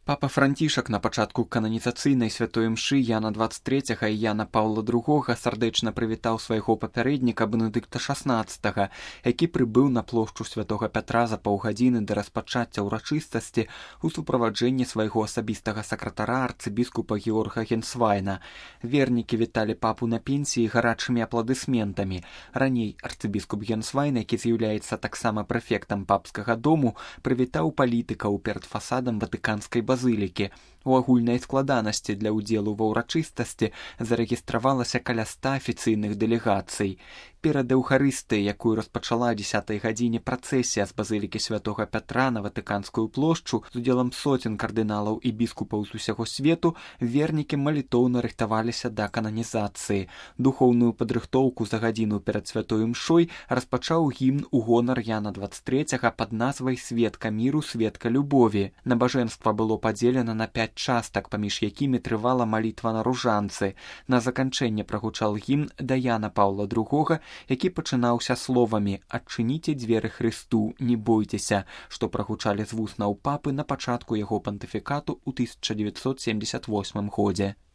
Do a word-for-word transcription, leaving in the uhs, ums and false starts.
Папа Францішак на пачатку кананізацыйнай святой імшы Яна дваццаць трэцяга і Яна Паўла другога сардэчна прывітаў свайго папярэдніка Бенедыкта шаснаццатага, які прыбыў на плошчу святога Пятра за паўгадзіны да распачацця ўрачыстасці ў суправаджэнні свайго асабістага сакратара арцыбіскупа Георга Генсвайна. Вернікі віталі папу на пенсіі гарачымі апладысментамі. Раней арцыбіскуп Генсвайн, які з'яўляецца таксама прэфектам папскага дому, прывітаў палітыкаў перад фасадам ватыканскай базылікі. У агульнай складанасці для ўдзелу ва ўрачыстасці зарэгістравалася каля ста афіцыйных дэлегацый. Перад эўхарыстыяй, якую распачала о дзесятай гадзіне працэсія з базылікі святога Пятра на ватыканскую плошчу з удзелам соцень кардыналаў і біскупаў з усяго свету, вернікі малітоўна рыхтаваліся да кананізацыі. Духоўную падрыхтоўку за гадзіну перад святой імшой распачаў гімн у гонар Яна дваццаць трэцяга пад назвай «Светка міру, светка любові». Набажэнства было падзелена на пяць частак, паміж якімі трывала малітва на ружанцы. На заканчэнне прагучаў гімн да Яна Паўла другога, які пачынаўся словамі «Адчыніце дзверы Хрысту, не бойцеся», што прагучалі з вуснаў папы на пачатку яго пантыфікату ў тысяча дзевяцьсот семдзесят восьмым годзе.